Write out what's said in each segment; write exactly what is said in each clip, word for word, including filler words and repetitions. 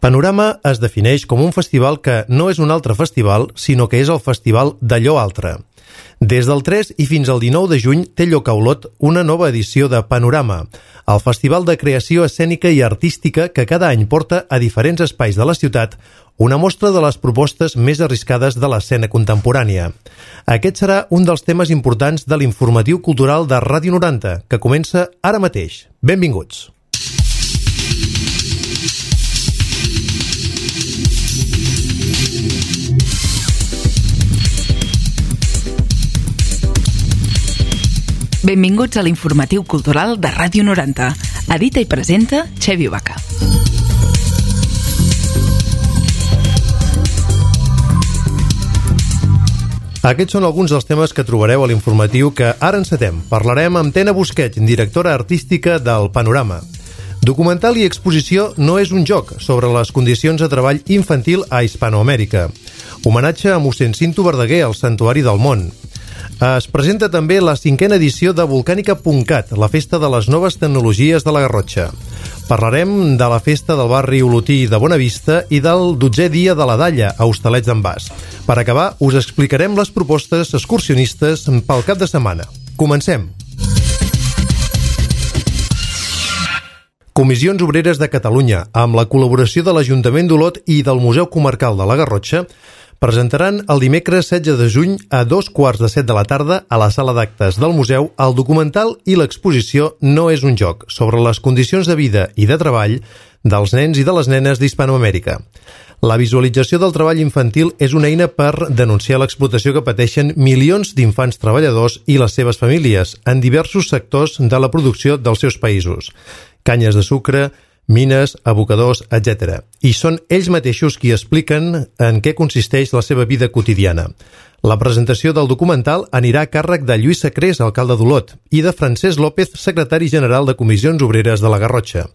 Panorama es defineix com un festival que no és un altre festival, sinó que és el festival d'allò altre. Des del tres i fins al dinou de juny té lloc a Olot una nova edició de Panorama, el festival de creació escènica i artística que cada any porta a diferents espais de la ciutat una mostra de les propostes més arriscades de l'escena contemporània. Aquest serà un dels temes importants de l'informatiu cultural de Ràdio noranta, que comença ara mateix. Benvinguts! Benvinguts a l'informatiu cultural de Ràdio noranta. Edita i presenta Xevi Vaca. Aquests són alguns dels temes que trobareu a l'informatiu que ara encetem. Parlarem amb Tena Busquets, directora artística del Panorama. Documental i exposició no és un joc sobre les condicions de treball infantil a Hispanoamèrica. Homenatge a mossèn Cinto Verdaguer al Santuari del Món. Es presenta també la cinquena edició de Volcànica punt cat, la festa de les noves tecnologies de la Garrotxa. Parlarem de la festa del barri olotí de Bonavista i del dotzè dia de la Dalla a Hostalets d'en Bas. Per acabar, us explicarem les propostes excursionistes pel cap de setmana. Comencem! Comissions Obreres de Catalunya, amb la col·laboració de l'Ajuntament d'Olot i del Museu Comarcal de la Garrotxa, presentaran el dimecres setze de juny a dos quarts de set de la tarda a la sala d'actes del museu el documental i l'exposició No és un joc, sobre les condicions de vida i de treball dels nens i de les nenes d'Hispanoamèrica. La visualització del treball infantil és una eina per denunciar l'explotació que pateixen milions d'infants treballadors i les seves famílies en diversos sectors de la producció dels seus països. Canyes de sucre, mines, abocadors, etcètera. I són ells mateixos qui expliquen en què consisteix la seva vida quotidiana. La presentació del documental anirà a càrrec de Lluís Sacrés, alcalde d'Olot, i de Francesc López, secretari general de Comissions Obreres de la Garrotxa.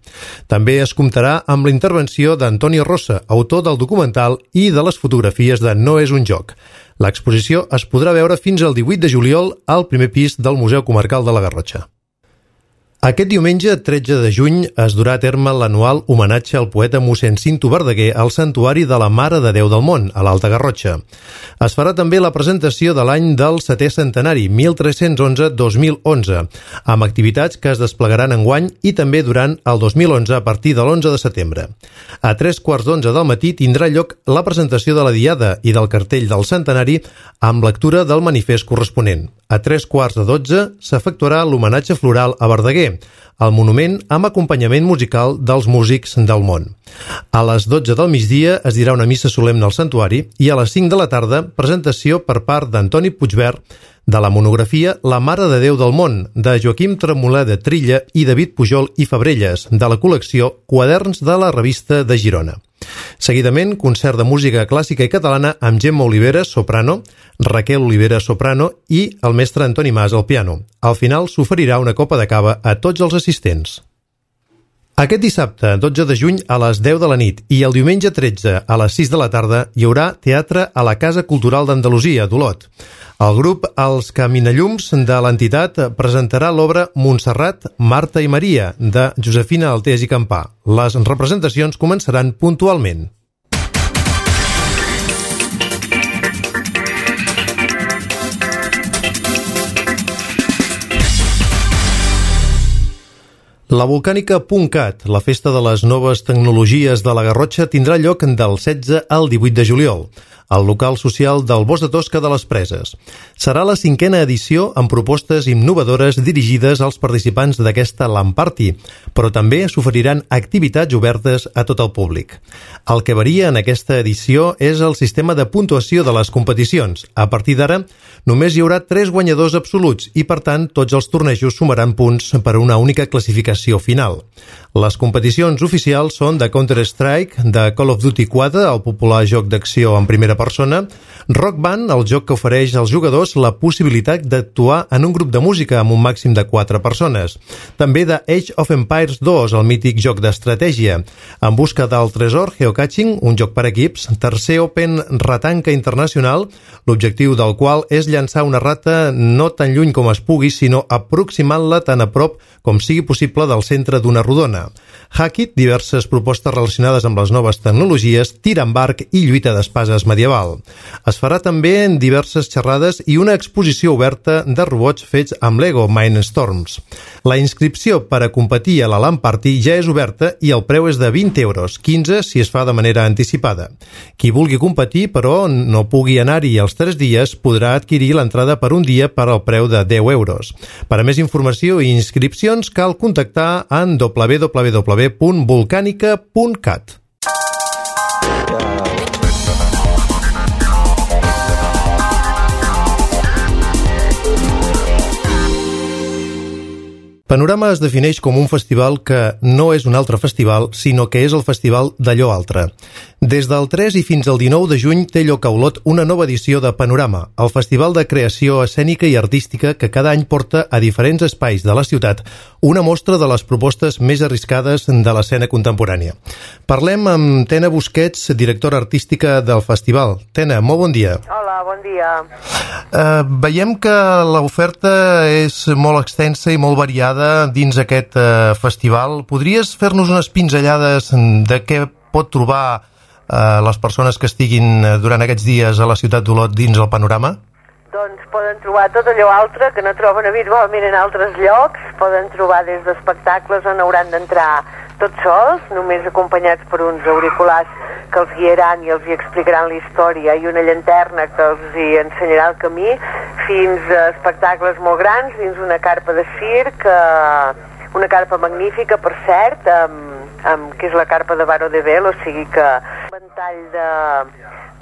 També es comptarà amb la intervenció d'Antoni Rosa, autor del documental i de les fotografies de No és un joc. L'exposició es podrà veure fins al divuit de juliol al primer pis del Museu Comarcal de la Garrotxa. Aquest diumenge, tretze de juny, es durà a terme l'anual homenatge al poeta mossèn Cinto Verdaguer al Santuari de la Mare de Déu del Món, a l'Alta Garrotxa. Es farà també la presentació de l'any del setè centenari, mil tres-cents onze a dos mil onze, amb activitats que es desplegaran enguany i també durant el dos mil onze a partir de l'onze de setembre. A tres quarts d'onze del matí tindrà lloc la presentació de la Diada i del cartell del centenari amb lectura del manifest corresponent. A tres quarts de dotze s'efectuarà l'homenatge floral a Verdaguer, el monument amb acompanyament musical dels músics del món. A les dotze del migdia es dirà una missa solemne al santuari i a les cinc de la tarda presentació per part d'Antoni Puigvert de la monografia La Mare de Déu del Món, de Joaquim Tremoler de Trilla i David Pujol i Fabrelles, de la col·lecció Quaderns de la Revista de Girona. Seguidament, concert de música clàssica i catalana amb Gemma Oliveres, soprano, Raquel Oliveres, soprano i el mestre Antoni Mas al piano. Al final s'oferirà una copa de cava a tots els assistents. Aquest dissabte, dotze de juny, a les deu de la nit i el diumenge tretze a les sis de la tarda hi haurà teatre a la Casa Cultural d'Andalusia, d'Olot. El grup Els Caminallums de l'entitat presentarà l'obra Montserrat, Marta i Maria, de Josefina Altés i Campà. Les representacions començaran puntualment. La Volcànica punt cat, la festa de les noves tecnologies de la Garrotxa, tindrà lloc del setze al divuit de juliol, al local social del Bosc de Tosca de les Preses. Serà la cinquena edició amb propostes innovadores dirigides als participants d'aquesta LAN Party, però també s'oferiran activitats obertes a tot el públic. El que varia en aquesta edició és el sistema de puntuació de les competicions. A partir d'ara, només hi haurà tres guanyadors absoluts i, per tant, tots els tornejos sumaran punts per a una única classificació final. Les competicions oficials són de Counter-Strike, de Call of Duty quatre, el popular joc d'acció en primera persona, Rock Band, el joc que ofereix als jugadors la possibilitat d'actuar en un grup de música amb un màxim de quatre persones. També de Age of Empires dos, el mític joc d'estratègia. En busca del tresor, Geocaching, un joc per equips, tercer Open Ratanca Internacional, l'objectiu del qual és llançar una rata no tan lluny com es pugui, sinó aproximant-la tan a prop com sigui possible del centre d'una rodona. Hackit, diverses propostes relacionades amb les noves tecnologies, tir amb arc i lluita d'espases medieval. Es farà també en diverses xerrades i una exposició oberta de robots fets amb Lego Mindstorms. La inscripció per a competir a la LAN Party ja és oberta i el preu és de vint euros, quinze si es fa de manera anticipada. Qui vulgui competir, però no pugui anar-hi els tres dies, podrà adquirir l'entrada per un dia per al preu de deu euros. Per a més informació i inscripcions cal contactar en w w w punt volcànica punt cat. Panorama es defineix com un festival que no és un altre festival, sinó que és el festival d'allò altre. Des del tres i fins al dinou de juny té lloc a Olot una nova edició de Panorama, el festival de creació escènica i artística que cada any porta a diferents espais de la ciutat una mostra de les propostes més arriscades de l'escena contemporània. Parlem amb Tena Busquets, directora artística del festival. Tena, molt bon dia. Hola, bon dia. Uh, veiem que l'oferta és molt extensa i molt variada dins aquest uh, festival. Podries fer-nos unes pinzellades de què pot trobar uh, les persones que estiguin durant aquests dies a la ciutat d'Olot dins el Panorama? Doncs poden trobar tot allò altre que no troben habitualment en altres llocs. Poden trobar des d'espectacles on hauran d'entrar tots sols, només acompanyats per uns auriculars que els guiaran i els hi explicaran la història i una llanterna que els hi ensenyarà el camí, fins a espectacles molt grans dins una carpa de circ, eh, una carpa magnífica, per cert, amb, amb, que és la carpa de Varo de Vel, o sigui que un ventall de,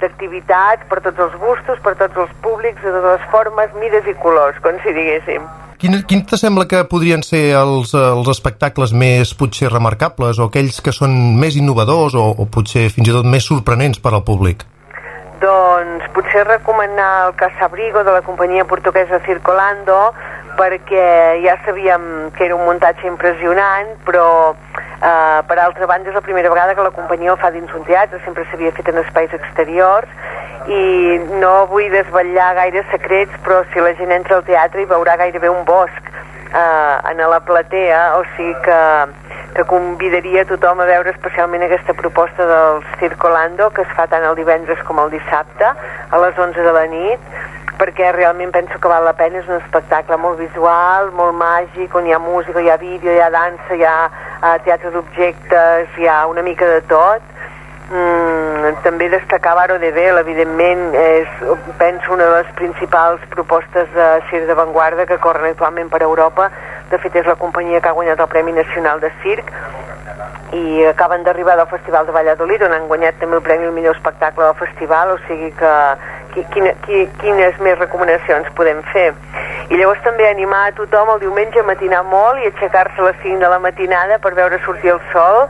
d'activitats per tots els gustos, per tots els públics, de totes les formes, mides i colors, com si diguéssim. Quin, quin te sembla que podrien ser els, els espectacles més potser remarcables o aquells que són més innovadors o, o potser fins i tot més sorprenents per al públic? Doncs potser recomanar el Casabrigo de la companyia portuguesa Circolando, perquè ja sabíem que era un muntatge impressionant, però eh, per altra banda és la primera vegada que la companyia ho fa dins un teatre, sempre s'havia fet en espais exteriors, i no vull desvetllar gaire secrets, però si la gent entra al teatre hi veurà gairebé un bosc eh, en la platea, o sigui que, que convidaria tothom a veure especialment aquesta proposta del Circolando, que es fa tant el divendres com el dissabte a les onze de la nit, perquè realment penso que val la pena. És un espectacle molt visual, molt màgic, on hi ha música, hi ha vídeo, hi ha dansa, hi ha uh, teatre d'objectes, hi ha una mica de tot. Mm, també destacar Varo de Vel, evidentment, és, penso, una de les principals propostes de circ d'avantguarda que corren actualment per Europa. De fet, és la companyia que ha guanyat el Premi Nacional de Circ i acaben d'arribar del Festival de Valladolid, on han guanyat també el Premi al millor espectacle del festival, o sigui que quina, quines més recomanacions podem fer. I llavors també animar a tothom el diumenge a matinar molt i aixecar-se a les cinc de la matinada per veure sortir el sol,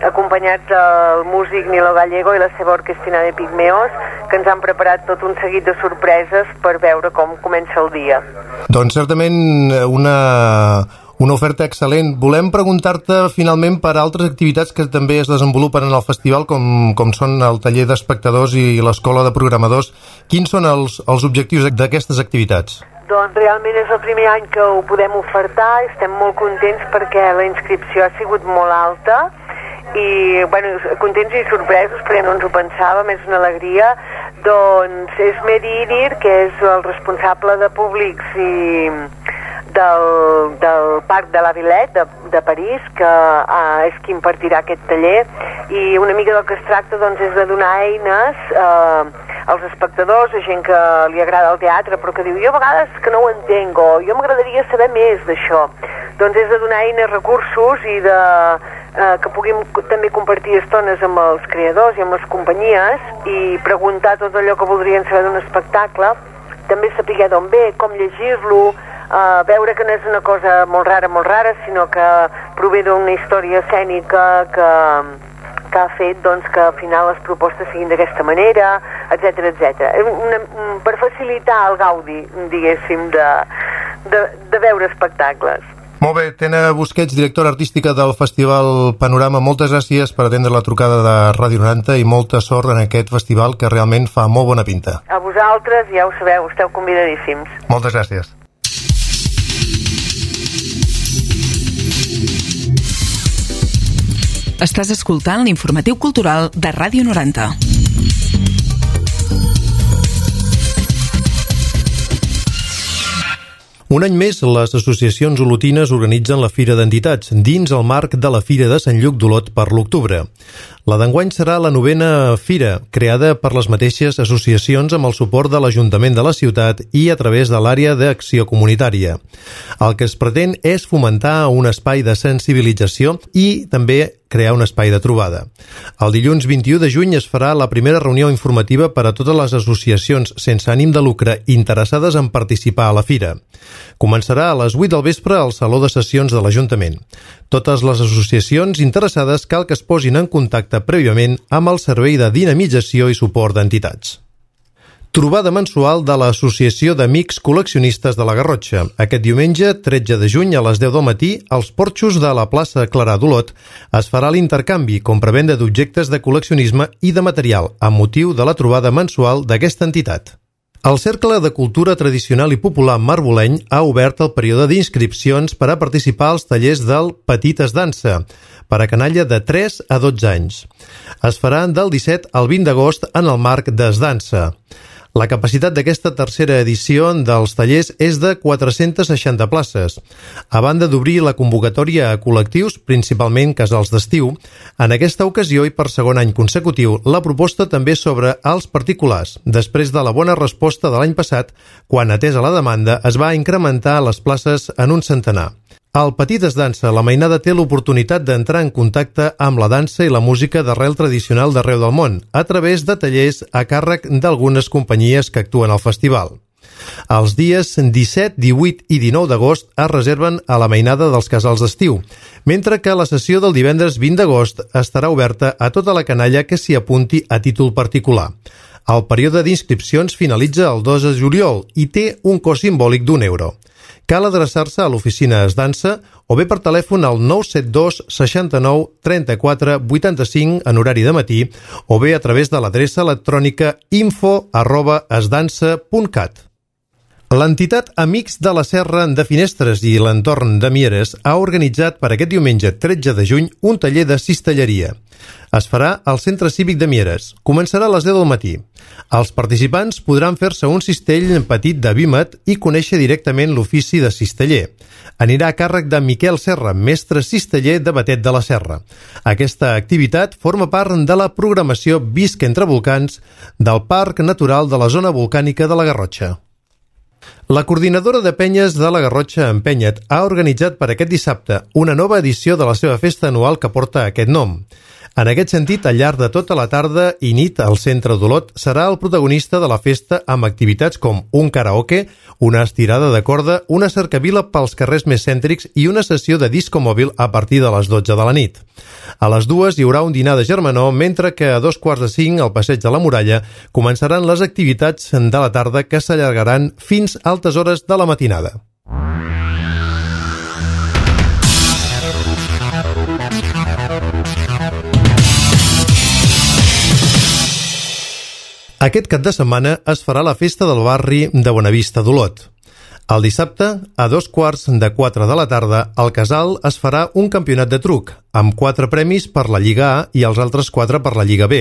acompanyats del músic Nilo Gallego i la seva orquestina de Pigmeos, que ens han preparat tot un seguit de sorpreses per veure com comença el dia. Doncs certament una, una oferta excel·lent. Volem preguntar-te finalment per altres activitats que també es desenvolupen en el festival, com, com són el taller d'espectadors i l'escola de programadors. Quins són els, els objectius d'aquestes activitats? Doncs realment és el primer any que ho podem ofertar, estem molt contents perquè la inscripció ha sigut molt alta, i bueno, contents i sorpresos perquè no ens ho pensàvem, és una alegria. Doncs és Medi Idir, que és el responsable de públics i del, del Parc de la Villette de, de París, que uh, és qui impartirà aquest taller, i una mica del que es tracta doncs, és de donar eines uh, als espectadors, a gent que li agrada el teatre però que diu, jo a vegades que no ho entenc, o jo m'agradaria saber més d'això. Doncs és de donar eines, recursos i de eh, que puguin també compartir estones amb els creadors i amb les companyies i preguntar tot allò que voldrien saber d'un espectacle, també saber d'on ve, com llegir-lo, eh, veure que no és una cosa molt rara, molt rara, sinó que prové d'una història escènica que, que ha fet doncs, que al final les propostes siguin d'aquesta manera, etcètera, etcètera. Per facilitar el gaudi, diguéssim, de, de, de veure espectacles. Molt bé, Tena Busquets, directora artística del Festival Panorama, moltes gràcies per atendre la trucada de Ràdio noranta i molta sort en aquest festival que realment fa molt bona pinta. A vosaltres, ja ho sabeu, esteu convidadíssims. Moltes gràcies. Estàs escoltant l'informatiu cultural de Ràdio noranta. Un any més, les associacions olotines organitzen la Fira d'Entitats, dins el marc de la Fira de Sant Lluc d'Olot per l'octubre. La d'enguany serà la novena fira, creada per les mateixes associacions amb el suport de l'Ajuntament de la ciutat i a través de l'àrea d'acció comunitària. El que es pretén és fomentar un espai de sensibilització i també crear un espai de trobada. El dilluns vint-i-u de juny es farà la primera reunió informativa per a totes les associacions sense ànim de lucre interessades en participar a la fira. Començarà a les vuit del vespre al Saló de Sessions de l'Ajuntament. Totes les associacions interessades cal que es posin en contacte prèviament amb el Servei de Dinamització i Suport d'Entitats. Trobada mensual de l'Associació d'Amics Col·leccionistes de la Garrotxa. Aquest diumenge, tretze de juny, a les deu del matí, als porxos de la plaça Clarà d'Olot, es farà l'intercanvi, compra-venda d'objectes de col·leccionisme i de material, amb motiu de la trobada mensual d'aquesta entitat. El Cercle de Cultura Tradicional i Popular Marboleny ha obert el període d'inscripcions per a participar als tallers del Petites Dansa, per a canalla de tres a dotze anys. Es faran del disset al vint d'agost en el marc d'Esdansa. La capacitat d'aquesta tercera edició dels tallers és de quatre-centes seixanta places. A banda d'obrir la convocatòria a col·lectius, principalment casals d'estiu, en aquesta ocasió i per segon any consecutiu, la proposta també sobre els particulars, després de la bona resposta de l'any passat, quan, atesa la demanda, es va incrementar les places en un centenar. Al Petites Dansa, la mainada té l'oportunitat d'entrar en contacte amb la dansa i la música d'arrel tradicional d'arreu del món, a través de tallers a càrrec d'algunes companyies que actuen al festival. Els dies disset, divuit i dinou d'agost es reserven a la mainada dels casals d'estiu, mentre que la sessió del divendres vint d'agost estarà oberta a tota la canalla que s'hi apunti a títol particular. El període d'inscripcions finalitza el dos de juliol i té un cost simbòlic d'un euro. Cal adreçar-se a l'oficina Esdansa o bé per telèfon al nou set dos seixanta-nou trenta-quatre vuitanta-cinc en horari de matí o bé a través de l'adreça electrònica info arroba esdansa punt cat. L'entitat Amics de la Serra de Finestres i l'entorn de Mieres ha organitzat per aquest diumenge tretze de juny un taller de cistelleria. Es farà al Centre Cívic de Mieres. Començarà a les deu del matí. Els participants podran fer-se un cistell petit de vímet i conèixer directament l'ofici de cisteller. Anirà a càrrec de Miquel Serra, mestre cisteller de Batet de la Serra. Aquesta activitat forma part de la programació Visc entre volcans del Parc Natural de la Zona Volcànica de la Garrotxa. La coordinadora de penyes de la Garrotxa Empenyet ha organitzat per aquest dissabte una nova edició de la seva festa anual que porta aquest nom. En aquest sentit, al llarg de tota la tarda i nit, el centre d'Olot serà el protagonista de la festa amb activitats com un karaoke, una estirada de corda, una cercavila pels carrers més cèntrics i una sessió de disco mòbil a partir de les dotze de la nit. A les dues hi haurà un dinar de germanor, mentre que a dos quarts de cinc, al Passeig de la Muralla, començaran les activitats de la tarda que s'allargaran fins a altes hores de la matinada. Aquest cap de setmana es farà la festa del barri de Bonavista d'Olot. El dissabte, a dos quarts de quatre de la tarda, al Casal es farà un campionat de truc, amb quatre premis per la Lliga A i els altres quatre per la Lliga B.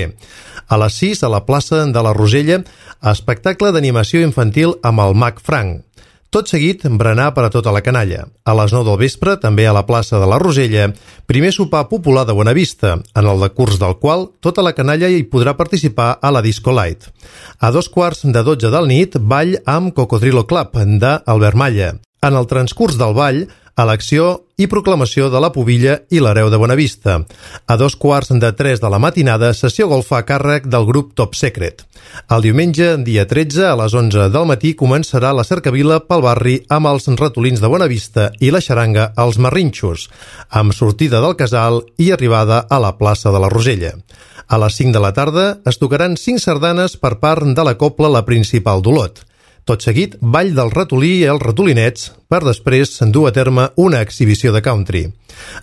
A les sis, a la plaça de la Rosella, espectacle d'animació infantil amb el Mag Frank. Tot seguit, berenar per a tota la canalla. A les nou del vespre, també a la plaça de la Rosella, primer sopar popular de Bonavista, en el decurs del qual tota la canalla hi podrà participar a la Disco Light. A dos quarts de dotze del nit, ball amb Cocodrilo Club, d'Albert Malla. En el transcurs del ball, elecció i proclamació de la pubilla i l'hereu de Bonavista. A dos quarts de tres de la matinada, sessió golfa a càrrec del grup Top Secret. El diumenge, dia tretze, a les onze del matí, començarà la cercavila pel barri amb els ratolins de Bonavista i la xaranga als Marrinxos, amb sortida del Casal i arribada a la plaça de la Rosella. A les cinc de la tarda es tocaran cinc sardanes per part de la cobla La Principal d'Olot. Tot seguit, ball del ratolí i els ratolinets, per després dur a terme una exhibició de country.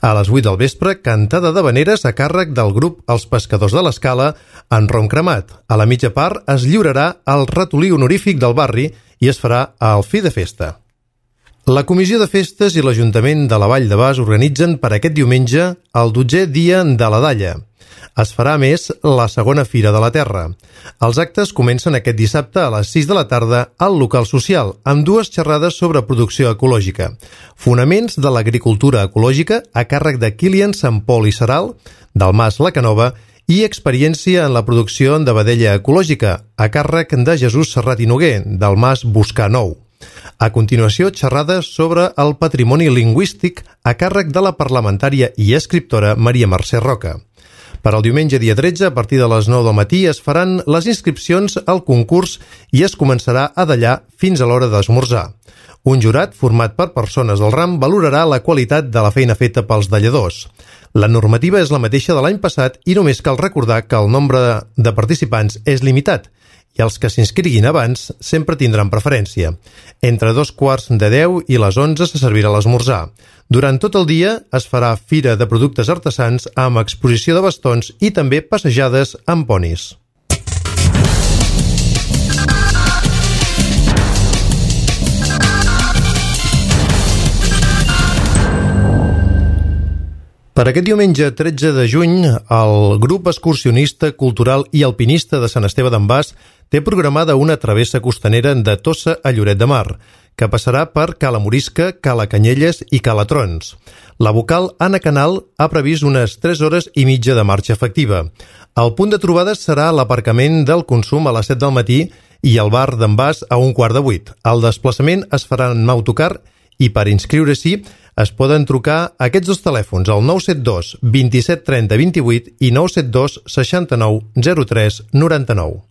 A les vuit del vespre, cantada d'havaneres a càrrec del grup Els Pescadors de l'Escala en rom cremat. A la mitja part es lliurarà el ratolí honorífic del barri i es farà el fi de festa. La Comissió de Festes i l'Ajuntament de la Vall de Bas organitzen per aquest diumenge el dotzè dia de la Dalla. Es farà, a més, la segona Fira de la Terra. Els actes comencen aquest dissabte a les sis de la tarda al local social, amb dues xerrades sobre producció ecològica. Fonaments de l'agricultura ecològica a càrrec de Kilian Sant Pol i Seral, del Mas La Canova, i experiència en la producció de vedella ecològica a càrrec de Jesús Serrat i Noguer, del Mas Buscar Nou. A continuació, xerrades sobre el patrimoni lingüístic a càrrec de la parlamentària i escriptora Maria Mercè Roca. Per al diumenge dia tretze, a partir de les nou del matí, es faran les inscripcions al concurs i es començarà a dallar fins a l'hora d'esmorzar. Un jurat format per persones del ram valorarà la qualitat de la feina feta pels dalladors. La normativa és la mateixa de l'any passat i només cal recordar que el nombre de participants és limitat i els que s'inscriguin abans sempre tindran preferència. Entre dos quarts de deu i les onze se servirà l'esmorzar. Durant tot el dia es farà fira de productes artesans amb exposició de bastons i també passejades amb ponis. Per aquest diumenge tretze de juny, el grup excursionista, cultural i alpinista de Sant Esteve d'en Bas té programada una travessa costanera de Tossa a Lloret de Mar, que passarà per Cala Morisca, Cala Canyelles i Cala Trons. La vocal Anna Canal ha previst unes tres hores i mitja de marxa efectiva. El punt de trobada serà l'aparcament del Consum a les set del matí i el bar d'en Bas a un quart de vuit. El desplaçament es farà en autocar i per inscriure-s'hi es poden trucar a aquests dos telèfons, el nou set dos vint-i-set trenta vint-i-vuit i nou set dos seixanta-nou zero tres noranta-nou.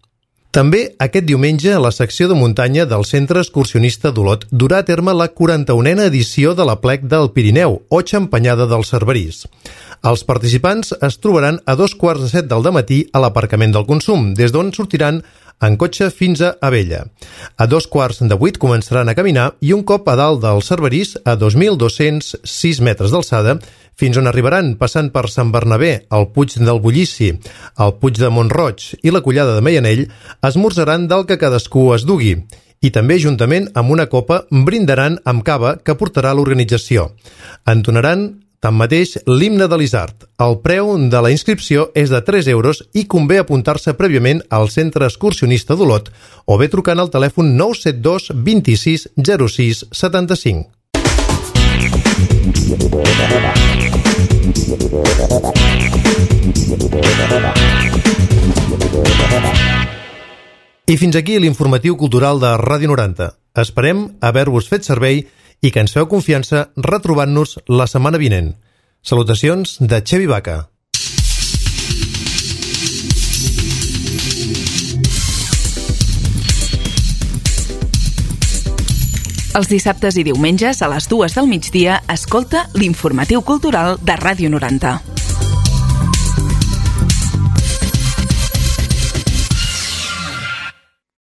També aquest diumenge a la secció de muntanya del Centre Excursionista d'Olot durà a terme la quaranta-unena edició de l'Aplec del Pirineu, o Xampanyada del Cerverís. Els participants es trobaran a dos quarts de set del dematí a l'aparcament del Consum, des d'on sortiran en cotxe fins a Abella. A dos quarts de vuit començaran a caminar i un cop a dalt del Cerverís, a dos mil dos-cents sis metres d'alçada, fins on arribaran passant per Sant Bernabé, el Puig del Bullici, el Puig de Montroig i la Collada de Meianell, esmorzaran del que cadascú es dugui. I també, juntament amb una copa, brindaran amb cava que portarà l'organització. Entonaran tanmateix, l'himne de l'Isard. El preu de la inscripció és de tres euros i convé apuntar-se prèviament al Centre Excursionista d'Olot o bé trucant al telèfon nou set dos vint-i-sis zero sis setanta-cinc. I fins aquí l'informatiu cultural de Ràdio noranta. Esperem haver-vos fet servei i que ens feu confiança retrobant-nos la setmana vinent. Salutacions de Xevi Baca. Els dissabtes i diumenges a les dues del migdia escolta l'informatiu cultural de Ràdio noranta.